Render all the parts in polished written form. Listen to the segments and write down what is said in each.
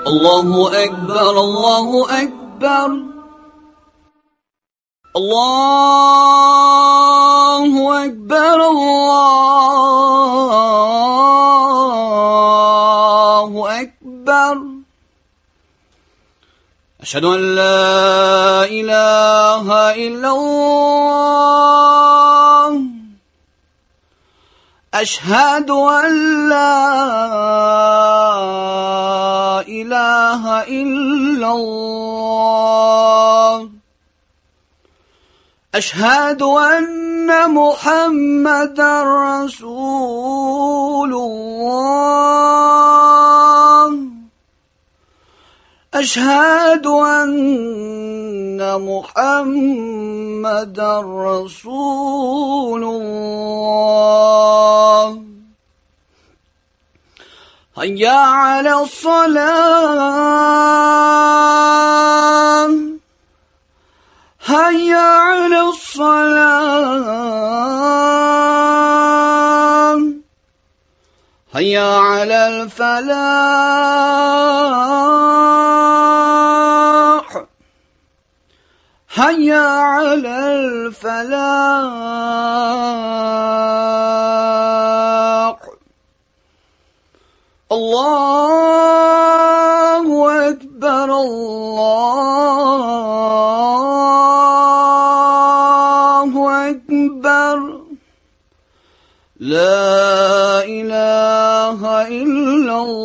الله أكبر الله أكبر الله أكبر الله أكبر أشهد أن لا إله إلا الله أشهد أن لا إله إلا الله أشهد أن محمدا رسول الله أشهد أن محمدا رسول الله هيا على الصلاة هيا على الصلاة هيا على الفلاح هيا على الفلاح الله أكبر الله أكبر لا إله إلا الله.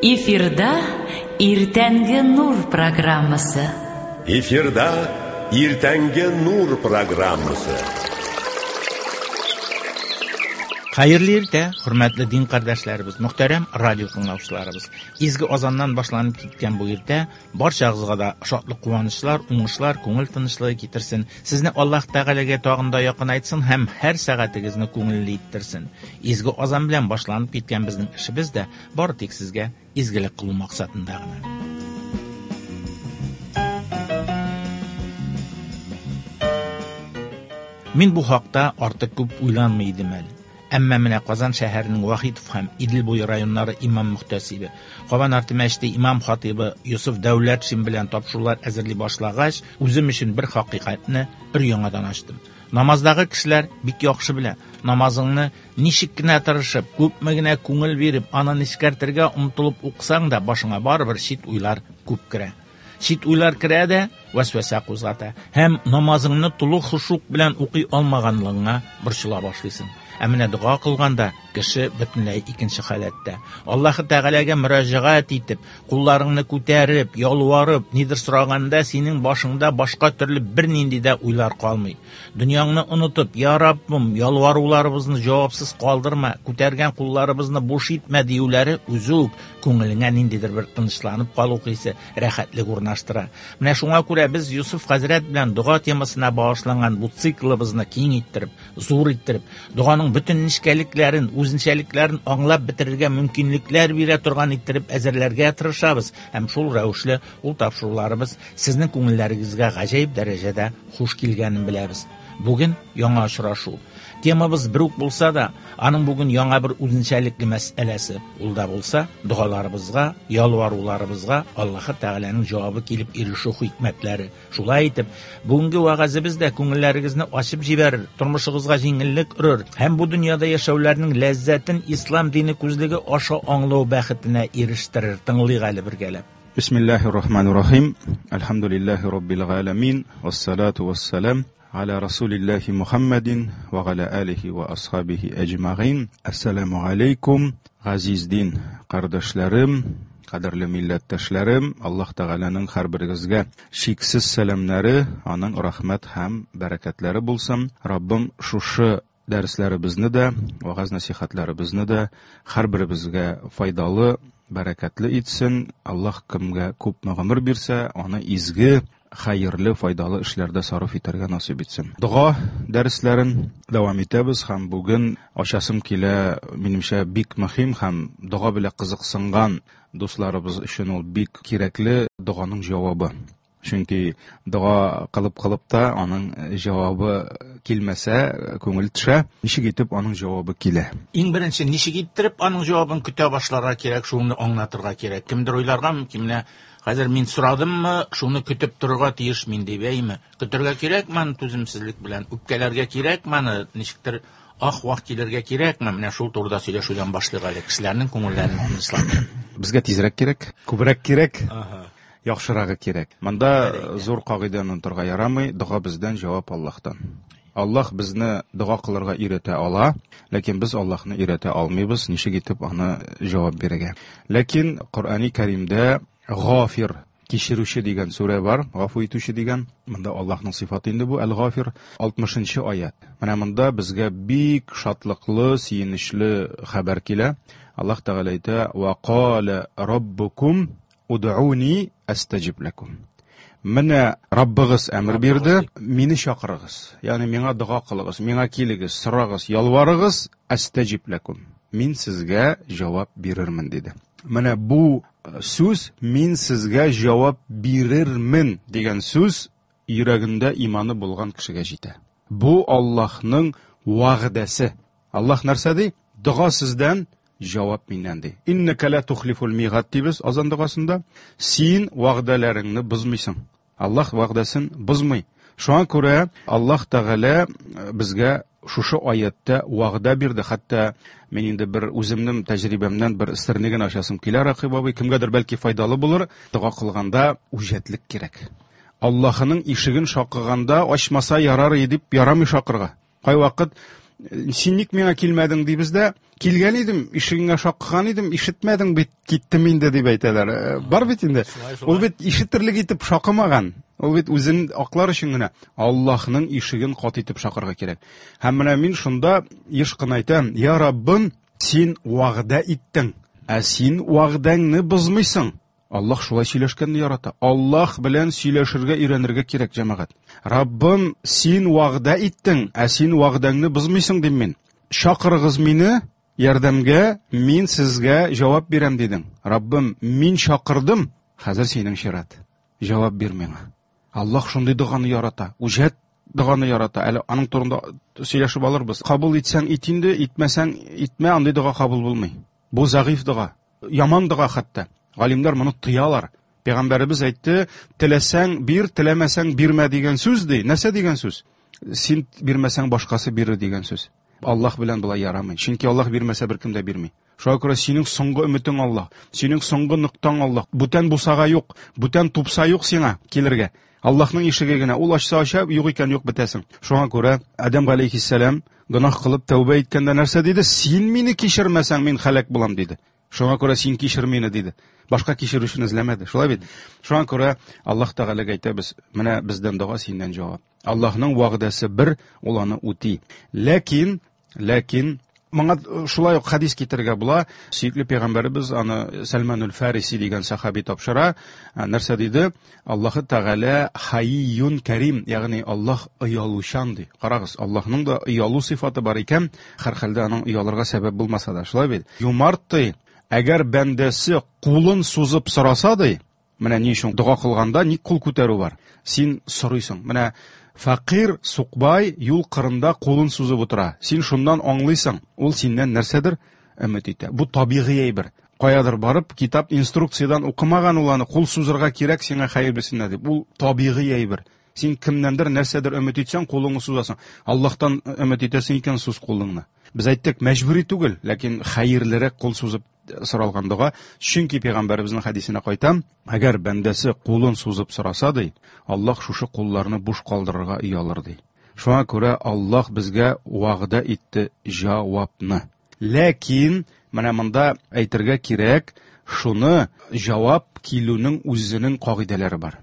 Эфирда Иртәнге нур программасы. Эфирда Иртәнге нур программасы. Хәерле иртә, хөрмәтле дин кардәшләребез, мөхтәрәм радио тыңлаучыларыбыз. Изге азаннан башланып киткән бу иртә барчагызга да шатлык, куанычлар, уңышлар, күңел тынычлыгы китерсен. Сезне Аллаһ Тәгаләгә тагын да якынайтсын һәм һәр сәгатегезне күңелле иттерсен. Изге азан белән башланып киткән безнең эшебез дә бары тик сезгә изгелек кылу максатында гына. Мин бу хакта артык күп уйланмый идем әле. Әмма менә Казан шәһәренең Вахитов һәм Идел буе районнары имам мөхтәсибе, Кабан арты мәчете имам хатибы Йосыф Дәүләтшин белән тапшырулар әзерли башлагач, үзем өчен бер хакыйкатьне бер яңадан ачтым. Намаздагы кешеләр бик яхшы белә, намазыңны ничек кенә тырышып, күпме генә күңел биреп, аны нечкәртергә омтылып укысаң да, башыңа барыбер чит уйлар күп керә. Чит уйлар керә дә вәсвәсә кузгата һәм намазыңны тулы хушук белән укый алмаганлыгыңа борчыла башлыйсың. Ә менә дога кылганда кеше бөтенләй икенче халәттә. Аллаһы Тәгаләгә мөрәҗәгать итеп, кулларыңны күтәреп, ялварып, нидер сораганда синең башыңда башка төрле бернинди дә уйлар калмый. Дөньяңны онытып, "Я Раббым, ялваруларыбызны җавапсыз калдырма, күтәргән кулларыбызны буш итмә" диюләре үзе үк күңелеңә ниндидер бер тынычланып калу хисе, рәхәтлек урнаштыра. Менә шуңа күрә без Йосыф хәзрәт белән дога темасына багышланган бу циклыбызны киң иттереп, зур иттереп, доганың бөтен нечкәлекләрен, үзенчәлекләрен аңлап бетерергә мөмкинлекләр бирә торган иттереп әзерләргә тырышабыз һәм шул рәвешле ул тапшыруларыбыз сезнең күңелләрегезгә гаҗәеп дәрәҗәдә хуш килгәнен беләбез. Бүген яңа очрашу. Темабыз бер үк булса да, аның бүген яңа бер үзенчәлекле мәсьәләсе. Ул да булса, догаларыбызга, ялваруларыбызга Аллаһы Тәгаләнең җавабы килеп ирешү хикмәтләре. Шулай итеп, бүгенге вәгазебез дә күңелләрегезне ачып җибәрер, тормышыгызга җиңеллек өрер һәм бу дөньяда яшәүләрнең ләззәтен ислам дине күзлеге аша аңлау бәхетенә ирештерер. Тыңлыйк әле бергәләп. Бисмиллахир рахманир рахим. Әлхәмдүлилләһи раббил галәмин. Вассалату вассалам аля расулиллахи Мухаммадин ва аля алихи ва асхабихи әҗмәгыйн. Ассаламу алейкум, газиз дин кардәшләрем, кадерле милләттәшләрем. Аллаһ Тәгаләнең һәрберегезгә чиксез сәламнәре, аның рәхмәт һәм бәрәкәтләре булсын. Раббым шушы дәресләребезне дә, вагаз нәсихәтләребезне дә һәрберебезгә файдалы, бәрәкәтле итсен. Аллаһ кемгә күпме гомер бирсә, аны изге, хәерле, файдалы эшләрдә сарыф итәргә насыйп итсен. Дога дәресләрен дәвам итәбез һәм бүген ачасым килә, минемчә, бик мөһим һәм дога белән кызыксынган дусларыбыз өчен ул бик кирәкле доганың җавабы. Чөнки дога кылып-кылып та аның җавабы килмәсә, күңел төшә. Ничек итеп аның җавабы килә? Иң беренче ничек иттереп аның җавабын көтә башларга кирәк, шуны аңлатырга кирәк. Кемдер уйларга мөмкин, менә хәзер мин сорадыммы, шуны көтеп торырга тиеш мин дип, әйме? Көтергә кирәкме аны түземсезлек белән? Үпкәләргә кирәкме аны? Ничектер ах-вах килергә кирәкме? Менә шул турыда сөйләшүдән башлыйк әле, кешеләрнең күңелләрен тынычландырып. Безгә тизрәк кирәк, күбрәк кирәк. Яхшырагы кирәк. Монда зур кагыйдәне онытырга ярамый, дога бездән, җавап Аллаһтан. Аллаһ безне дога кылырга өйрәтә ала, ләкин без Аллаһны өйрәтә алмыйбыз, ничек итеп аны җавап бирергә. Ләкин Коръәни Кәримдә Гафир, кичерүче дигән сүрә бар, гафу итүче дигән. Монда Аллаһның сыйфаты инде бу, Әл-Гафир, 60-нчы аят. Менә монда безгә бик шатлыклы, сөенечле хәбәр килә. Аллаһ Тәгалә әйтә: "Ва кала раббукум Удъуни астаҗиб ләкум. Менә Раббыгыз әмер бирде, мине чакырыгыз. Ягъни миңа дога кылыгыз, миңа килегез, сорагыз, ялварыгыз, астаҗиб ләкум. Мин сезгә җавап бирермен, диде. Менә бу сүз мин сезгә җавап бирермен дигән сүз йөрәгендә иманы булган кешегә җитә. Бу Аллаһның вәгъдәсе. Аллаһ нәрсә ди? Дога сездән, җавап миннән ди. Иннәкә ла тухлифул мигад дибез азан догасында. Син вәгъдәләреңне бозмыйсың. Аллаһ вәгъдәсен бозмый. Шуңа күрә Аллаһ Тәгалә безгә шушы аятта вәгъдә бирде. Хәтта мин инде бер үземнең тәҗрибәмнән бер серне генә ачасым килә, Рәкыйп абый, кемгәдер бәлки файдалы булыр. Дога кылганда үҗәтлек кирәк. Аллаһының ишеген шакыганда ачмаса ярар иде дип ярамый шакырга. Кайвакыт син ник миңа килмәдең дибез дә, килгән идем, ишегеңә шакыган идем, ишетмәдең бит, киттем инде дип әйтәләр. Бар бит инде. Ул бит ишетерлек итеп шакымаган. Ул бит үзен аклар өчен генә Аллаһның ишеген кат итеп шакырга кирәк. Һәм менә мин шунда еш кына әйтәм, я Раббым, син вәгъдә иттең, ә син вәгъдәңне бозмыйсың. Аллаһ шулай сөйләшкәнне ярата. Аллаһ белән сөйләшергә өйрәнергә кирәк, җәмәгать. Раббым, син вәгъдә иттең, ә син вәгъдәңне бозмыйсың, дим мин. Чакырыгыз мине ярдәмгә, мин сезгә җавап бирәм, дидең. Раббым, мин чакырдым, хәзер синең чират. Җавап бир миңа. Аллаһ шундый доганы ярата. Үҗәт доганы ярата. Әле аның турында сөйләшеп алырбыз. Кабул итсәң ит инде, итмәсәң итмә, андый дога кабул булмый. Бу зәгыйфь дога. Яман дога хәтта. Галимнәр моны тыялар. Пәйгамбәребез әйтте, теләсәң бир, теләмәсәң бирмә дигән сүз ди. Нәрсә дигән сүз? Син бирмәсәң башкасы бирер дигән сүз. Аллаһ белән болай ярамый. Чөнки Аллаһ бирмәсә беркем дә бирми. Шуңа күрә синең соңгы өметең Аллаһ, синең соңгы ноктаң Аллаһ. Бүтән бусага юк, бүтән тупса юк сиңа килергә. Аллаһның ишеге генә, ул ачса ача, юк икән юк бетәсең. Шуңа күрә Адәм галәйһиссәлам гөнаһ кылып тәүбә иткәндә нәрсә диде? Син мине кичермәсәң, мин һәлак булам диде. Шуңа күрә син кичер мине диде. Башка кичерүчене эзләмәде. Шулай бит? Шуңа күрә Аллаһ Тәгаләгә әйтәбез, менә бездән дога, синнән җавап. Аллаһның вәгъдәсе бер, ул аны үти. Ләкин, ләкин моңа шулай ук хәдис китерергә була. Сөекле пәйгамбәребез аны Сәлманул Фариси дигән сахаби тапшыра. Нәрсә диде? Аллаһы Тәгалә хайюн карим, ягъни Аллаһ оялучан ди. Карагыз, Аллаһның да оялу сыйфаты бар икән, һәрхәлдә аның оялырга сәбәп булмаса да, шулай бит? Юмарт ди, әгәр бәндәсе кулын сузып сораса ди, менә ни өчен дога кылганда ник кул күтәрү бар? Син сорыйсың. Менә фәкыйрь, сукбай юл кырында кулын сузып утыра. Син шуннан аңлыйсың, ул синнән нәрсәдер өмет итә. Бу табигый әйбер. Каядыр барып, китап инструкциядән укымаган ул аны, кул сузырга кирәк сиңа хәерлесенә дип. Ул табигый әйбер. Син кемнәндер нәрсәдер өмет итсәң, кулыңны сузасың. Аллаһтан өмет итәсең икән, суз кулыңны. Без әйттек, мәҗбүри түгел, ләкин хәерлерәк кул сузып соралган дога. Чөнки пәйгамбәребезнең хәдисенә кайтам, әгәр бәндәсе кулын сузып сораса ди, Аллаһ шушы кулларны буш калдырырга оялыр ди. Шуңа күрә Аллаһ безгә вәгъдә итте җавапны. Ләкин менә монда әйтергә кирәк, шуны җавап килүнең үзенең кагыйдәләре бар.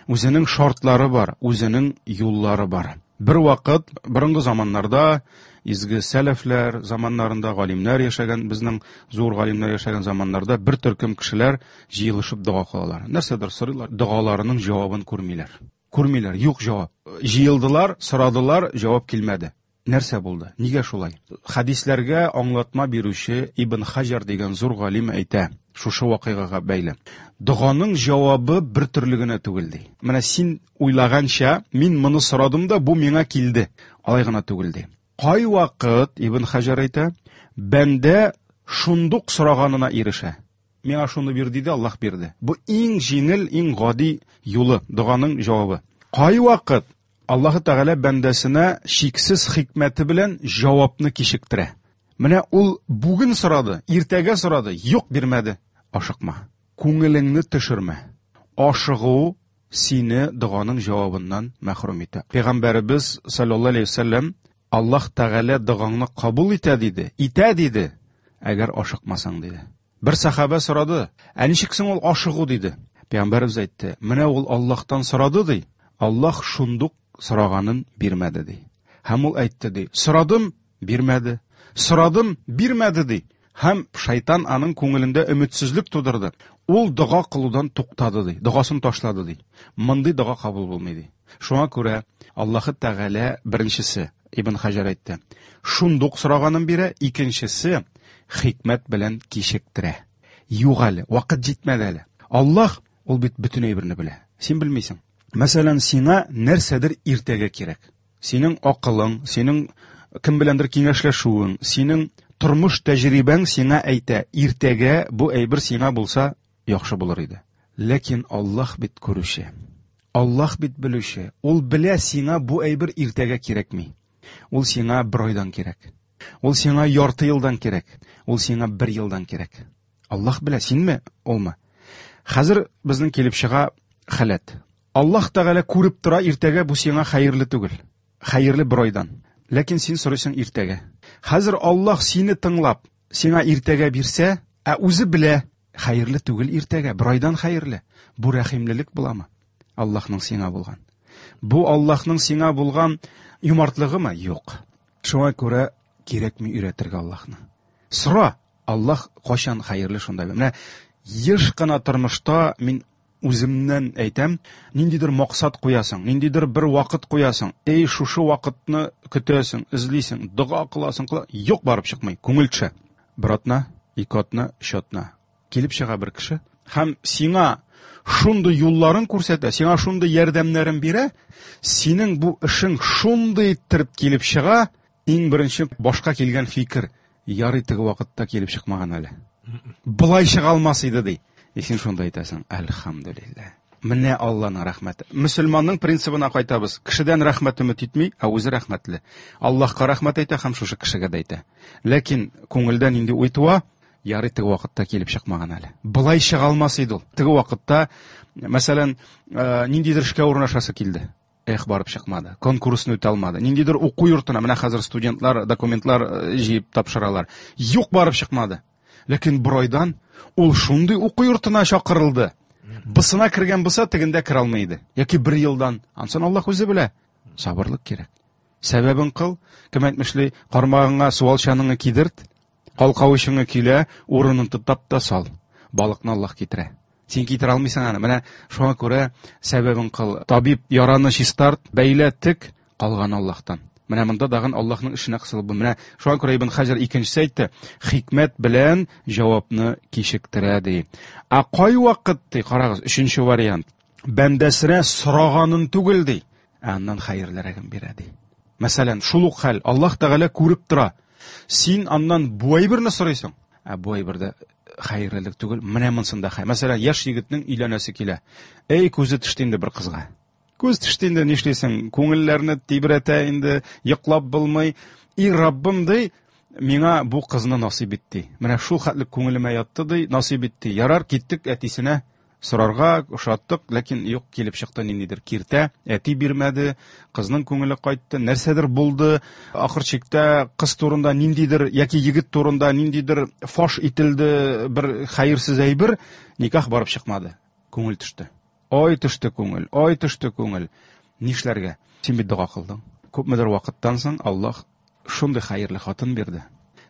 Үзенең шартлары бар, үзенең юллары бар. Бер вакыт, борынгы заманнарда, изге сәләфләр заманнарында, галимнәр яшәгән, безнең зур галимнәр яшәгән заманнарда бер төркем кешеләр җыелышып дога кылалар. Нәрсәдер сорыйлар, догаларының җавабын күрмиләр. Күрмиләр, юк җавап. Җыелдылар, сорадылар, җавап килмәде. Нәрсә булды? Нигә шулай? Хәдисләргә аңлатма бирүче Ибн Хаҗар дигән зур галим әйтә, шушы вакыйгага бәйле. Доганың җавабы бер төрле генә түгел ди. Менә син уйлаганча, мин моны сорадым да, бу миңа килде. Алай гына түгел ди. Кайвакыт, Ибн Хаҗар әйтә, бәндә шундук сораганына ирешә. Миңа шуны бир диде, Аллаһ бирде. Бу иң җиңел, иң гади юлы, доганың җавабы. Кайвакыт Аллаһы Тәгалә бәндәсенә чиксез хикмәте белән җавапны кичектерә. Менә ул бүген сорады, иртәгә сорады, юк бирмәде. Ашыкма. Күңелеңне төшермә. Ашыгу сине доганың җавабыннан мәхрүм итә. Пәйгамбәребез саллаллаһу алейһи вәсәлләм Аллаһ Тәгалә догаңны кабул итә диде. Итә диде, әгәр ашыкмасаң диде. Бер сахаба сорады, ә ничек соң ул ашыгу диде. Пәйгамбәребез әйтте, менә ул Аллаһтан сорады ди, Аллаһ шундук сораганын бирмәде ди. Һәм ул әйтте ди, сорадым, бирмәде. Сорадым, бирмәде ди. Һәм шайтан аның күңелендә өметсезлек тудырды. Ул дога кылудан туктады ди, догасын ташлады ди. Мондый дога кабул булмый ди. Шуңа күрә Аллаһы Тәгалә беренчесе, Ибн Хаҗар әйтте, шундук сораганын бирә, икенчесе хикмәт белән кичектерә. Юк әле, вакыт җитмәде әле. Аллаһ ул бит бөтен әйберне белә. Син белмисең. Мәсәлән, сиңа нәрсәдер иртәгә кирәк. Синең акылың, синең кем беләндер киңәшләшүең, синең тормыш тәҗрибәң сиңа әйтә, иртәгә бу әйбер сиңа булса яхшы булыр иде. Ләкин Аллаһ бит күрүче. Аллаһ бит белүче. Ул белә, сиңа бу әйбер иртәгә кирәкми. Ул сиңа бер айдан кирәк. Ул сиңа ярты елдан кирәк. Ул сиңа бер елдан кирәк. Аллаһ белә, синме, улмы? Хәзер безнең килеп чыга халәт. Аллаһ Тәгалә күреп тора, иртәгә бу сиңа хәерле түгел. Хәерле бер айдан. Ләкин син сорыйсың иртәгә. Хәзер Аллаһ сине тыңлап, сиңа иртәгә бирсә, ә үзе белә, хәерле түгел иртәгә, бер айдан хәерле. Бу рәхимлелек буламы? Аллаһның сиңа булган. Бу Аллаһның сиңа булган юмартлыгымы? Юк. Шуңа күрә кирәкми өйрәтергә Аллаһны. Сора, Аллаһ кайчан хәерле шунда. Менә еш кына тормышта мин үземнән әйтәм, ниндидер максат куясың, ниндидер бер вакыт куясың. Эй, шушы вакытны көтәсең, эзлисең, дога кыласың, кыла, юк барып чыкмый, күңел төшә. Бер атна, ике атна, өч атна. Килеп чыга бер кеше һәм сиңа шундый юлларын күрсәтә, сиңа шундый ярдәмнәрен бирә, синең бу эшең шундый иттереп килеп чыга, иң беренче башка килгән фикер, ярый теге вакытта килеп чыкмаган әле. Болай чыга алмас иде ди. И син шунда әйтәсең, әлхәмдүлилләһ. Менә Алланың рәхмәте. Мөселманның принцибына кайтабыз. Кешедән рәхмәт өмет итми, ә үзе рәхмәтле. Аллаһка рәхмәт әйтә һәм шушы кешегә дә әйтә. Ләкин күңелдә нинди уй туа? Ярый теге вакытта килеп чыкмаган әле. Болай чыга алмас иде ул. Теге вакытта, мәсәлән, ниндидер эшкә урнашасы килде. Эх, барып чыкмады. Конкурсны үтә алмады. Ниндидер уку йортына, менә хәзер студентлар документлар җыеп тапшыралар. Юк, барып чыкмады. Ләкин бер айдан ул шундый уку йортына чакырылды. Бысына кергән булса, тегендә керә алмый иде. Яки бер елдан. Ансын Аллаһ үзе белә. Сабырлык кирәк. Сәбәбен кыл, кем әйтмешли, кармагыңа суалчаныңны кидерт, калкавычыңны көйлә, урынын тотап та сал. Балыкны Аллаһ китерә. Син китерә алмыйсың аны. Менә шуңа күрә сәбәбен кыл. Табиб яраны чистарт, бәйлә, тек, калган Аллаһтан. Менә монда тагын Аллаһның эшенә кысылып бу. Менә шуңа күрә Ибн Хаҗар икенчесе әйтте, хикмәт белән җавапны кичектерә ди. Ә кайвакыт ди, карагыз, өченче вариант. Бәндәсенә сораганын түгел ди, ә аннан хәерлерәген бирә ди. Мәсәлән, шул ук хәл, Аллаһ Тәгалә күреп тора. Син аннан бу әйберне сорыйсың, ә бу әйбердә хәерлелек түгел, менә монсында хәер. Мәсәлән, яшь егетнең өйләнәсе килә. Эй, күзе төште инде бер кызга. Күз төште инде, нишлисең? Күңелләрне тибрәтә инде, йоклап булмый. И Раббым ди, миңа бу кызны насыйп ит ди. Менә шул хәтле күңелемә ятты ди, насыйп ит ди. Ярар, киттек әтисенә сорарга, ошаттык, ләкин юк, килеп чыкты ниндидер киртә, әти бирмәде, кызның күңеле кайтты, нәрсәдер булды, ахыр чиктә кыз турында ниндидер яки егет турында ниндидер фаш ителде бер хәерсез әйбер, никах барып чыкмады, күңел төште. Ай төште күңел, ай төште күңел. Нишләргә? Син бит дога кылдың. Күпмедер вакыттан соң Аллаһ шундый хәерле хатын бирде.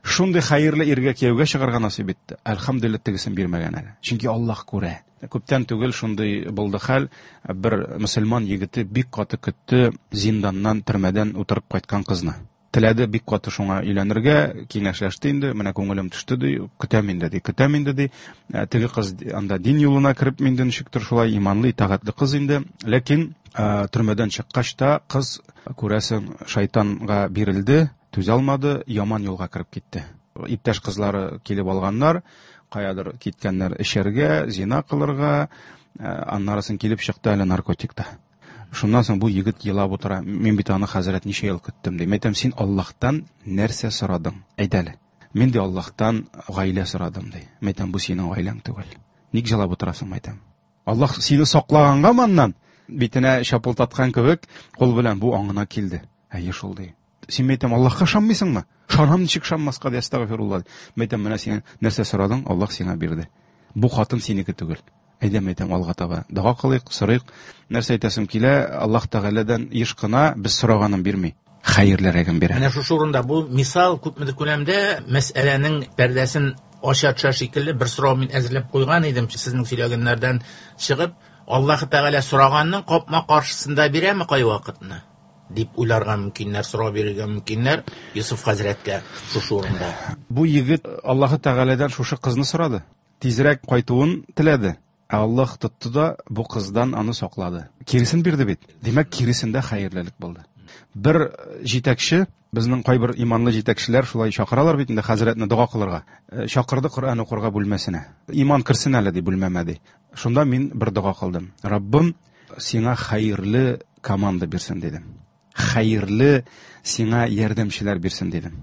Шундый хәерле иргә кияүгә чыгарга насыйп итте. Әлхәмдүлилләһ, тегесен бирмәгән әле. Чөнки Аллаһ күрә. Күптән түгел шундый булды хәл, бер мөселман егете бик каты көтте зинданнан, төрмәдән утырып кайткан кызны. Теләде бик каты шуңа өйләнергә, киңәшләште инде, менә күңелем төште ди, көтәм инде ди, көтәм инде ди. Теге кыз анда дин юлына кереп инде ничектер шулай иманлы, итагатьле кыз инде. Ләкин төрмәдән чыккач та кыз, күрәсең, шайтанга бирелде, түзә алмады, яман юлга кереп китте. Иптәш кызлары килеп алганнар, каядыр киткәннәр эчәргә, зина кылырга, аннарысын килеп чыкты әле наркотикта. Шуннан соң бу егет елап утыра. Мин бит аны, хәзрәт, ничә ел көттем, ди. Мин әйтәм, син Аллаһтан нәрсә сорадың? Әйт әле. Мин ди Аллаһтан гаилә сорадым, ди. Мин әйтәм, бу синең гаиләң түгел. Ник җылап утырасың, мин әйтәм. Аллаһ сине саклаганга моннан битенә чапылдаткан кебек кул белән бу аңына килде. Әйе шул, ди. Син, мин әйтәм, Аллаһка ышанмыйсыңмы? Ышанам, ничек ышанмаска, ди, әстәгъфирулла. Мин әйтәм, менә син нәрсә сорадың, Аллаһ сиңа бирде. Бу хатын синеке түгел. Әйдә, мин әйтәм, алга таба. Дога кылыйк, сорыйк. Нәрсә әйтәсем килә, Аллаһ Тәгаләдән еш кына без сораганын бирми, хәерлерәген бирә. Менә шушы урында бу мисал күпмедер күләмдә мәсьәләнең пәрдәсен ача төшә шикелле. Бер сорау мин әзерләп куйган идем, сезнең сөйләгәннәрдән чыгып, Аллаһ Тәгалә сораганның капма-каршысында бирәме кайвакытны? Дип уйларга мөмкиннәр, сорау бирергә мөмкиннәр Йосыф хәзрәткә шушы урында. Бу егет Аллаһ Тәгаләдән шушы кызны сорады. Тизрәк кайтуын теләде. Ә Аллаһ тотты да бу кыздан аны саклады. Киресен бирде бит. Димәк, киресендә хәерлелек булды. Бер җитәкче, безнең кайбер иманлы җитәкчеләр шулай чакыралар бит инде хәзрәтне дога кылырга. Чакырды Коръән укырга бүлмәсенә. Иман керсен әле ди бүлмәмә ди. Шунда мин бер дога кылдым. Раббым, сиңа хәерле команда бирсен дидем. Хәерле сиңа ярдәмчеләр бирсен дидем.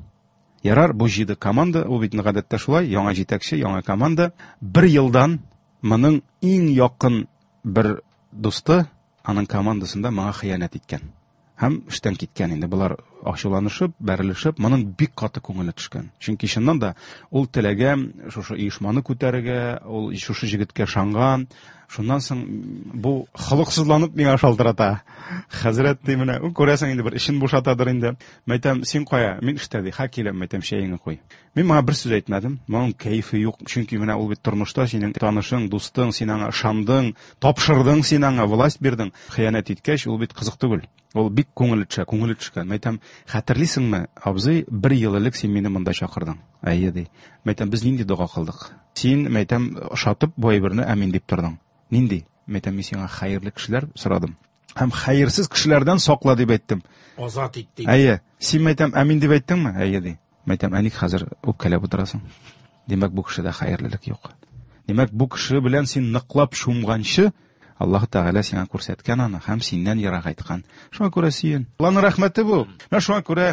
Ярар, бу җиде команда, ул бит гадәттә шулай, яңа җитәкче, яңа команда. Бер елдан моның иң якын бер дусты аның командасында моңа хыянәт иткән. Һәм эштән киткән инде. Болар ачуланышып, бәрелешеп, моның бик каты күңеле төшкән. Чөнки чыннан да ул теләгән шушы оешманы күтәрергә, ул шушы җегеткә ышанган. Шуннан соң бу холыксызланып миңа шалтырата. Хәзрәт ди, менә, ул күрәсең инде бер эшен бушатадыр инде. Мәйтәм, син кая? Мин эштә ди. Ха, киләм, мәйтәм, чәеңне куй. Мин моңа бер сүз әйтмәдем. Моның кәефе юк. Чөнки менә ул бит тормышта синең танышың, дустың, син аңа ышандың, тапшырдың, син аңа власть бирдең. Хыянәт иткәч, ул бит кызык түгел. Ул бик күңеле төшә, күңеле төшкән. Мәйтәм, хәтерлисеңме, абзый, бер ел элек син мине монда чакырдың. Әйе, ди. Мәйтәм, без нинди дога кылдык? Син, мәйтәм, ошатып бу әйберне әмин дип тордың. Нинди? Мәйтәм, мин сиңа хәерле кешеләр сорадым. Һәм хәерсез кешеләрдән сакла дип әйттем. Азат ит дип. Әйе. Син, мәйтәм, әмин дип әйттеңме? Әйе, ди. Мәйтәм, ә ник хәзер үпкәләп утырасың? Димәк, бу кешедә хәерлелек юк. Димәк, бу кеше белән син ныклап чумганчы, Аллаһ Тәгалә сиңа күрсәткән аны һәм синнән ерагайткан. Шуңа күрә сөен. Аллаһның рәхмәте бу. Менә шуңа күрә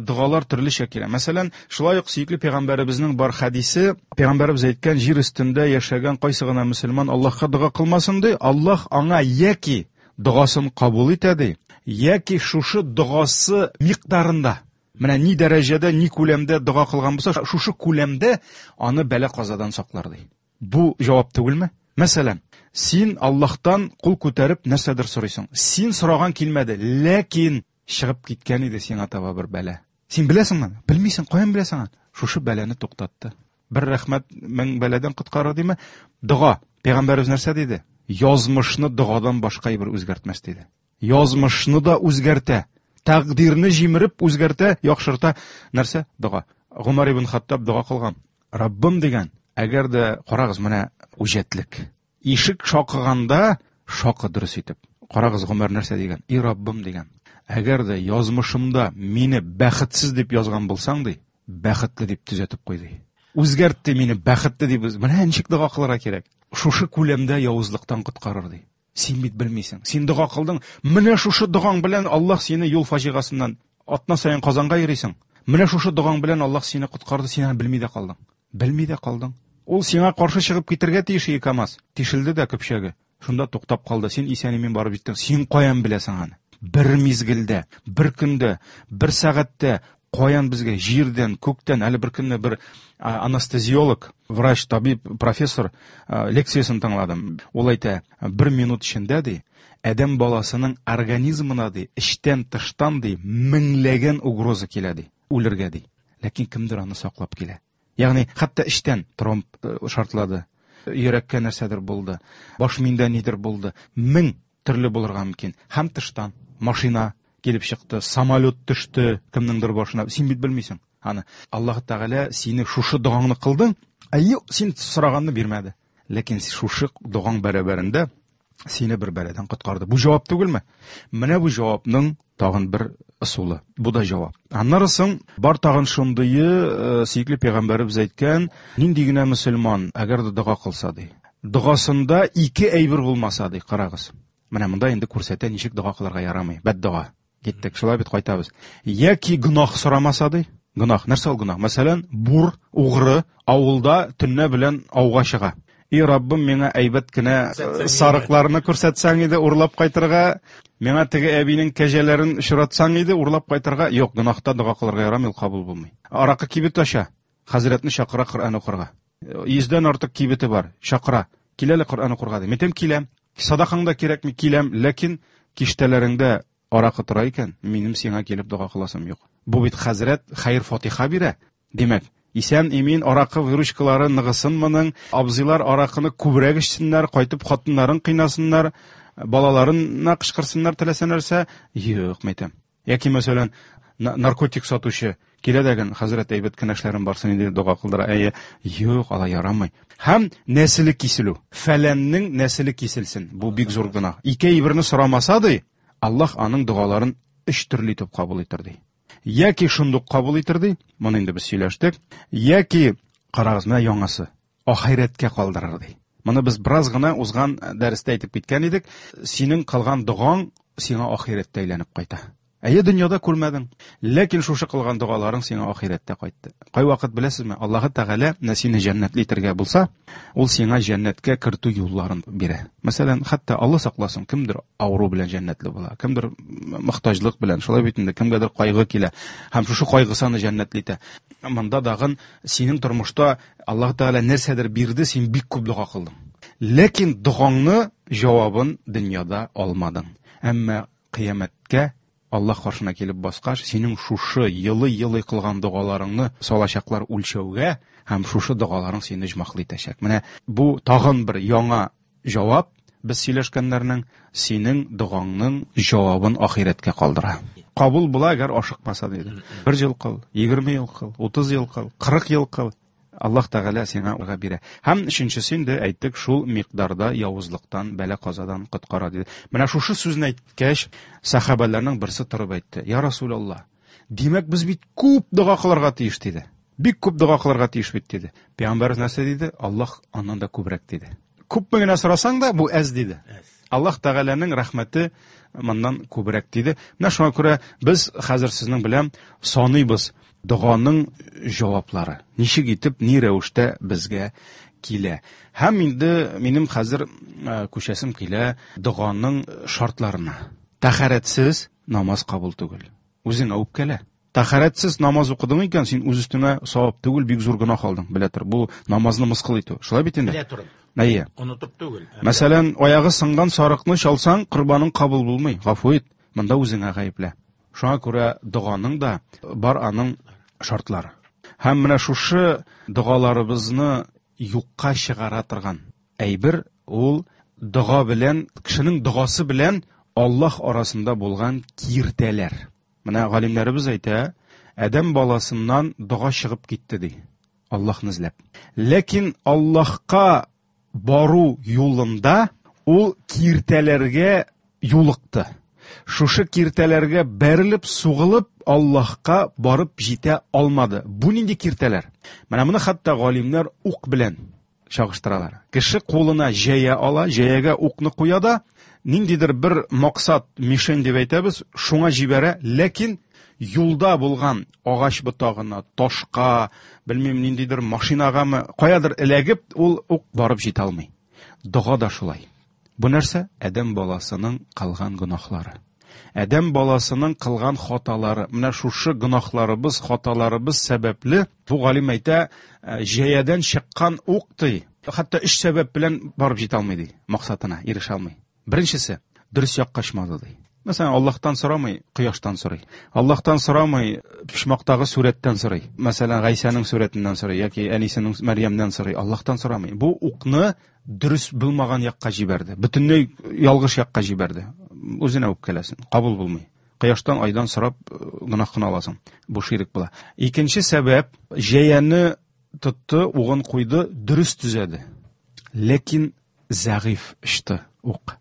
догалар төрлечә килә. Мәсәлән, шулай ук сөекле пәйгамбәребезнең бар хәдисе, пәйгамбәребез әйткән, җир өстендә яшәгән кайсы гына мөселман Аллаһка дога кылмасын ди, Аллаһ аңа яки догасын кабул итә ди, яки шушы догасы микъдарында, менә ни дәрәҗәдә, ни күләмдә дога кылган булса, шушы күләмдә аны бәла-казадан саклар ди. Бу җавап түгелме? Мәсәлән, син Аллаһтан кул күтәреп нәрсәдер сорыйсың. Син сораган килмәде, ләкин чыгып киткән иде сиңа таба бер бәла. Син беләсеңме? Белмисең, каян беләсең аны? Шушы бәлане туктатты. Бер рәхмәт мең бәладән коткарыр диме? Дога. Пәйгамбәребез нәрсә диде? Язмышны догадан башка бер үзгәртмәс диде. Язмышны да үзгәртә. Тәкъдирне җимереп үзгәртә, яхшырта. Нәрсә? Дога. Гомар ибн Хаттаб дога кылган. Раббым дигән, әгәр дә карагыз, менә үҗәтлек. Ишек шакыганда шакы дөрес итеп. Карагыз, Гомар нәрсә дигән? И Раббым дигән. Әгәр дә язмышымда мине бәхетсез дип язган булсаң ди, бәхетле дип төзәтеп куй ди. Үзгәртте мине бәхетле дип. Менә ничек дога кылырга кирәк. Шушы күләмдә явызлыктан коткарыр ди. Син бит белмисең. Син дога кылдың. Менә шушы догаң белән Аллаһ сине юл фаҗигасыннан атна саен Казанга йөрисең. Менә шушы догаң белән Аллаһ сине коткарды, син аны белми дә калдың. Белми дә калдың. Ул сиңа каршы чыгып китергә тиеш иде КАМАЗ. Тишелде дә көпчәге. Шунда туктап калды. Син исән-имин барып җиттең. Син каян беләсең аны? Бер мизгелдә, бер көндә, бер сәгатьтә каян безгә җирдән, күктән, әле бер көнне бер анестезиолог, врач, табиб, профессор лекциясен тыңладым. Ул әйтә, бер минут эчендә ди, адәм баласының организмына ди, эчтән, тыштан ди, меңләгән угроза килә ди, үлергә ди. Ләкин кемдер аны саклап килә. Ягъни хәтта эчтән тромб шартлады, йөрәккә нәрсәдер булды, баш миндә нидер булды. Мең төрле булырга мөмкин. Һәм тыштан машина. килеп чыкты, самолет төште кемнеңдер башына. Син бит белмисең. Аны Аллаһ Тәгалә сине шушы догаңны кылдың, әйе, син сораганны бирмәде. Ләкин шушы догаң бәрабәрендә сине бер бәладән коткарды. Бу җавап түгелме? Менә бу җавапның тагын бер ысулы. Бу да җавап. Аннары соң бар тагын шундые, сөекле пәйгамбәребез әйткән, нинди генә мөселман, әгәр дә дога кылса ди. Догасында ике әйбер булмаса ди, карагыз. Менә монда инде күрсәтә ничек дога кылырга ярамый. Бәддога. Киттек, шулай бит кайтабыз. Яки гөнаһ сорамаса ди. Гөнаһ, нәрсә ул гөнаһ? Мәсәлән, бур, угры авылда төнлә белән ауга чыга. И Раббым, миңа әйбәт кенә сарыкларны күрсәтсәң иде, урлап кайтырга, миңа теге әбинең кәҗәләрен очратсаң иде, урлап кайтырга. Юк, гөнаһта дога кылырга ярамый, ул кабул булмый. Аракы кибет ача, хәзрәтне чакыра Коръән укырга. 100дән артык кибете бар, чакыра. Кил әле Коръән укырга ди. Мин әйтәм, киләм. Садакаң да кирәкми, киләм, ләкин киштәләреңдә аракы тора икән, минем сиңа килеп дога кыласым юк. Бу бит хәзрәт хәер-фатиха бирә. Димәк, исән имин аракы выручкалары ныгысын моның, абзыйлар аракыны күбрәк эчсеннәр, кайтып хатыннарын кыйнасыннар, балаларына кычкырсыннар теләсә нәрсә. Юк, мәйтәм. Яки, мәсәлән, наркотик сатучы килә дәген, хәзрәт әйбәт кенә эшләрем барсын инде дога кылдыра. Әйе, юк, алай ярамый. Һәм нәселе киселү. Фәләннең нәселе киселсен. Бу бик зур гөнаһ. Ике әйберне сорамаса ди, Аллаһ аның догаларын өч төрле итеп кабул итер ди. Яки шундук кабул итер ди, моны инде без сөйләштек, яки карагыз, менә яңасы, ахирәткә калдырыр ди. Моны без бераз гына узган дәрестә әйтеп киткән идек. Синең кылган догаң сиңа ахирәттә әйләнеп кайта. Әйе, дөньяда күрмәдең, ләкин шушы кылган догаларың сиңа ахирәттә кайтты. Кайвакыт беләсезме, Аллаһы Тәгалә менә сине җәннәтле итәргә булса, ул сиңа җәннәткә кертү юлларын бирә. Мәсәлән, хәтта Алла сакласын, кемдер авыру белән җәннәтле була, кемдер мохтаҗлык белән, шулай бит инде, кемгәдер кайгы килә һәм шушы кайгысы аны җәннәтле итә. Монда дагын синең тормышта Аллаһы Тәгалә нәрсәдер бирде, син бик күп дога кылдың. Ләкин догаңны җавабын дөньяда алмадың. Әмма кыямәткә Аллаһ каршына килеп баскач, синең шушы елый-елый кылган догаларыңны салачаклар үлчәүгә һәм шушы догаларың сине оҗмахлы итәчәк. Менә бу тагын бер яңа җавап без сөйләшкәннәрнең синең догаңның җавабын ахирәткә калдыра. Кабул була, әгәр ашыкмаса диде. Бер ел кыл, 20 ел кыл, 30 ел кыл, 40 ел кыл. Аллаһ Тәгалә сиңа уга бирә. Һәм өченчесе инде әйттек, шул микъдарда явызлыктан, бәла-казадан коткара диде. Менә шушы сүзне әйткәч, сәхабәләрнең берсе торып әйтте: "Я Расулаллаһ, димәк, без бит күп дога кылырга тиеш" диде. Бик күп дога кылырга тиеш бит диде. Пәйгамбәребез нәрсә диде? Аллаһ аннан да күбрәк диде. Күпме генә сорасаң да, бу әз диде. Аллаһ Тәгаләнең рәхмәте моннан күбрәк диде. Менә шуңа күрә без хәзер сезнең белән саныйбыз доганың җаваплары. Ничек итеп, ни рәвештә безгә килә. Һәм инде минем хәзер күчәсем килә доганың шартларына. Тәһарәтсез намаз кабул түгел. Үзеңә үпкәлә. Тәһарәтсез намаз укыдың икән, син үз өстеңә савап түгел, бик зур гөнаһ алдың. Белә тор, бу намазны мыскыл итү. Шулай бит инде? Белә торып. Әйе. Онытып түгел. Мәсәлән, аягы сынган сарыкны чалсаң, корбаның кабул булмый. Гафу ит, монда үзеңә гаеплә. Шуңа күрә доганың да бар аның шартлары. Һәм менә шушы догаларыбызны юкка чыгара торган әйбер ул дога белән, кешенең догасы белән Аллаһ арасында булган киртәләр. Менә галимнәребез әйтә, адәм баласыннан дога чыгып китте ди, Аллаһны эзләп. Ләкин Аллаһка бару юлында ул киртәләргә юлыкты. Шушы киртәләргә бәрелеп, сугылып, Аллаһка барып җитә алмады. Бу нинди киртәләр? Менә моны хәтта галимнәр ук белән чагыштыралар. Кеше кулына җәя ала, җәягә укны куя да, ниндидер бер максат, мишень дип әйтәбез, шуңа җибәрә, ләкин юлда булган агач ботагына, ташка, белмим, ниндидер машинагамы, каядыр эләгеп, ул ук барып җитә алмый. Дога да шулай. Бу нәрсә? Адәм баласының кылган гөнаһлары. Адәм баласының кылган хаталары. Менә шушы гөнаһларыбыз, хаталарыбыз сәбәпле, бу галим әйтә, җәядән чыккан ук ди, хәтта өч сәбәп белән барып җитә алмый ди, максатына ирешә алмый. Беренчесе, дөрес якка очмады ди. Мәсәлән, Аллаһтан сорамый, кояштан сорый. Аллаһтан сорамый, почмактагы сурәттән сорый. Мәсәлән, Гайсәнең сурәтеннән сорый яки әнисенең Мәрьямнән сорый. Аллаһтан сорамый. Бу укны дөрес булмаган якка җибәрде. Бөтенләй ялгыш якка җибәрде. Үзенә үпкәләсен, кабул булмый. Кояштан, айдан сорап гөнаһ кына аласың. Бу ширк була. Икенче сәбәп, җәяне тотты, угын куйды, дөрес төзәде. Ләкин зәгыйф очты ук.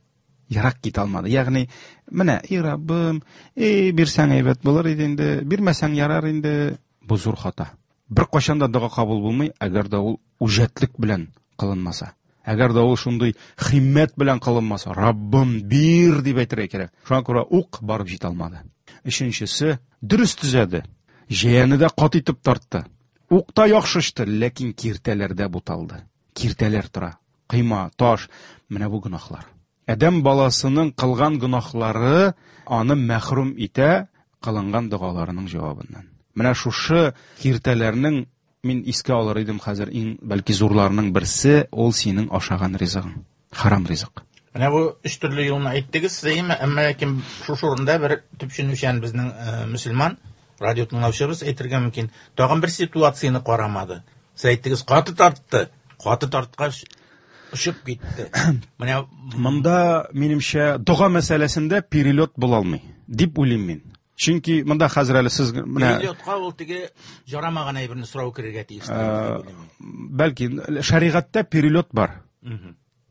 Ерак китә алмады. Ягъни, менә, и Раббым, и бирсәң әйбәт булыр иде инде, бирмәсәң ярар инде. Бу зур хата. Бер кашан да дога кабул булмый, әгәр дә ул үҗәтлек белән кылынмаса. Әгәр дә ул шундый химмәт белән кылынмаса, Раббым, бир дип әйтергә кирәк. Шуңа күрә ук барып җитә алмады. Өченчесе, дөрес төзәде. Җәяне дә кат итеп тартты. Ук та яхшы очты, ләкин киртәләрдә буталды. Киртәләр тора. Кыйма, таш, менә бу гөнаһлар. Адәм баласының кылган гөнаһлары аны мәхрүм итә кылынган догаларының җавабыннан. Менә шушы киртәләрнең мин искә алыр идем хәзер иң бәлки зурларының берсе, ул синең ашаган ризыгың, харам ризык. Менә бу өч төрле юлны әйттегез, әйеме? Әмма ләкин шушы урында бер төпченүчән безнең мөселман радио тыңлаучыбыз әйтергә мөмкин. Тагын бер ситуацияне карамады. Сез әйттегез, каты тартты. Каты тарткач очып китте. Менә монда минемчә дога мәсьәләсендә перелет була алмый дип уйлыйм мин. Чөнки монда хәзер әле сез менә перелетка ул теге жарамаган әйберне сорау керергә тиеш. Бәлки шәригатьтә перелет бар.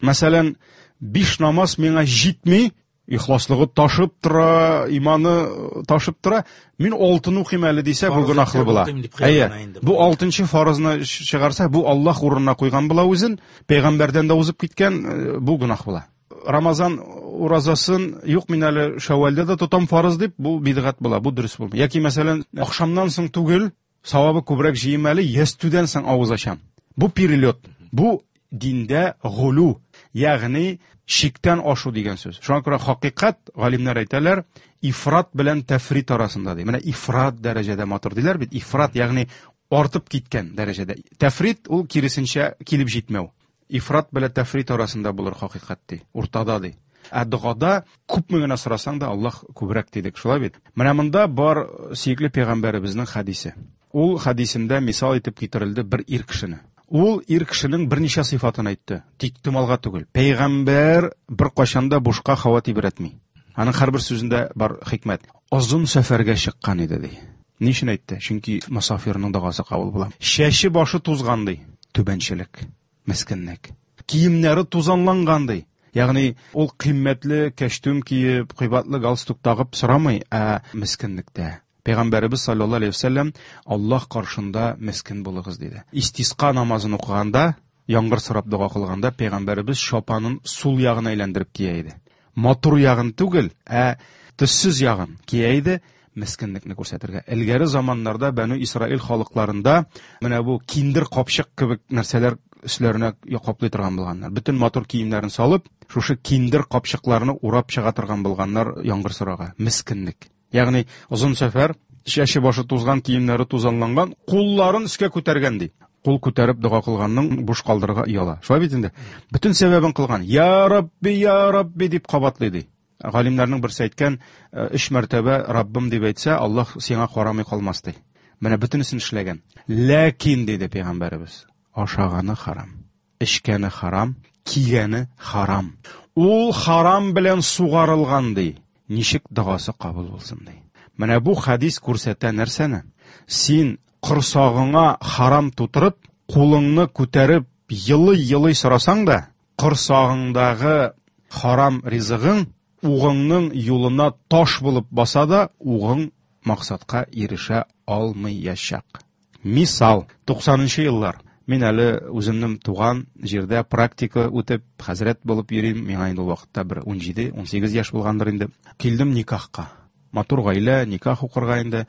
Мәсәлән, 5 намаз миңа җитми, ихласлыгы ташып тора, иманы ташып тора. Мин алтын укыйм әле дисә, бу гөнаһлы була. Әйе. Бу алтынчы фарызны чыгарса, бу Аллаһ урынына куйган була үзен, пәйгамбәрдән дә узып киткән, бу гөнаһ була. Рамазан уразасын юк, мин әле Шәүвәлдә дә тотам фарыз дип, бу бидгать була, бу дөрес булмый. Яки мәсәлән, ахшамнан соң түгел, савабы күбрәк җыйм әле, ястүдән соң авыз ачам. Бу перелет. Бу диндә гулу, ягъни чиктән ашу дигән сүз. Шуңа күрә хакыйкать, галимнәр әйтәләр, ифрат белән тәфрит арасында ди. Менә ифрат дәрәҗәдә матур диләр бит. Ифрат, ягъни артып киткән дәрәҗәдә. Тәфрит ул киресенчә килеп җитмәү. Ифрат белән тәфрит арасында булыр хакыйкать ди. Уртада ди. Ә догада күпме генә сорасаң да Аллаһ күбрәк дидек, шулай бит? Менә монда бар сөекле пәйгамбәребезнең хәдисе. Ул хәдисендә мисал итеп китерелде бер ир кешене. Ул ир кешенең берничә сыйфатын әйтте. Тик томалга түгел. Пәйгамбәр бер кашан да бушка һава тибрәтми. Аның һәрбер сүзендә бар хикмәт. Озын сәфәргә чыккан иде ди. Ни өчен әйтте? Чөнки мосафирның догасы кабул була. Чәче башы тузган ди. Түбәнчелек, мескенлек. Киемнәре тузанланган ди. Ягъни ул кыйммәтле кәчтүм киеп, кыйбатлы галстук тагып сорамый, ә мескенлектә. Пәйгамбәребез саллаллаһу алейһи вәсәлләм Аллаһ каршында мескен булыгыз диде. Истиска намазын укыганда, яңгыр сорап дога кылганда пәйгамбәребез чапанын сул ягына әйләндереп кия иде. Матур ягын түгел, ә төссез ягын кия иде, мескенлекне күрсәтергә. Элгәре заманнарда Бәну Исраил халыкларында менә бу киндер капчык кебек нәрсәләр өсләренә каплый торган булганнар. Бөтен матур киемнәрен салып, шушы киндер капчыкларны урап чыга торган булганнар яңгыр сорарга. Мескенлек. Ягъни озын сәфәр, чәче башы тузган, киемнәре тузанланган, кулларын өскә күтәргән ди. Кул күтәреп дога кылганның буш калдырырга ояла. Шулай бит инде. Бөтен сәбәбен кылган. Я Рабби, я Рабби дип кабатлый ди. Галимнәрнең берсе әйткән, өч мәртәбә Раббым дип әйтсә, Аллаһ сиңа карамый калмас ди. Менә бөтенесен эшләгән. Ләкин диде пәйгамбәребез, ашаганы харам, эчкәне харам, кигәне харам. Ул харам белән сугарылган ди. Ничек догасы кабул булсын ди. Менә бу хадис күрсәтә нәрсәне? Син корсагыңа харам тутырып, кулыңны күтәреп елый-елый сорасаң да, корсагыңдагы харам ризыгың угыңның юлына таш булып баса да, угың максатка ирешә алмаячак. Мисал, 90-нчы еллар. Мин әле үземнең туган җирдә практика үтеп, хәзрәт булып йөрим. Миңа инде ул вакытта бер 17-18 яшь булгандыр инде. Килдем никахка. Матур гаилә, никах укырга инде.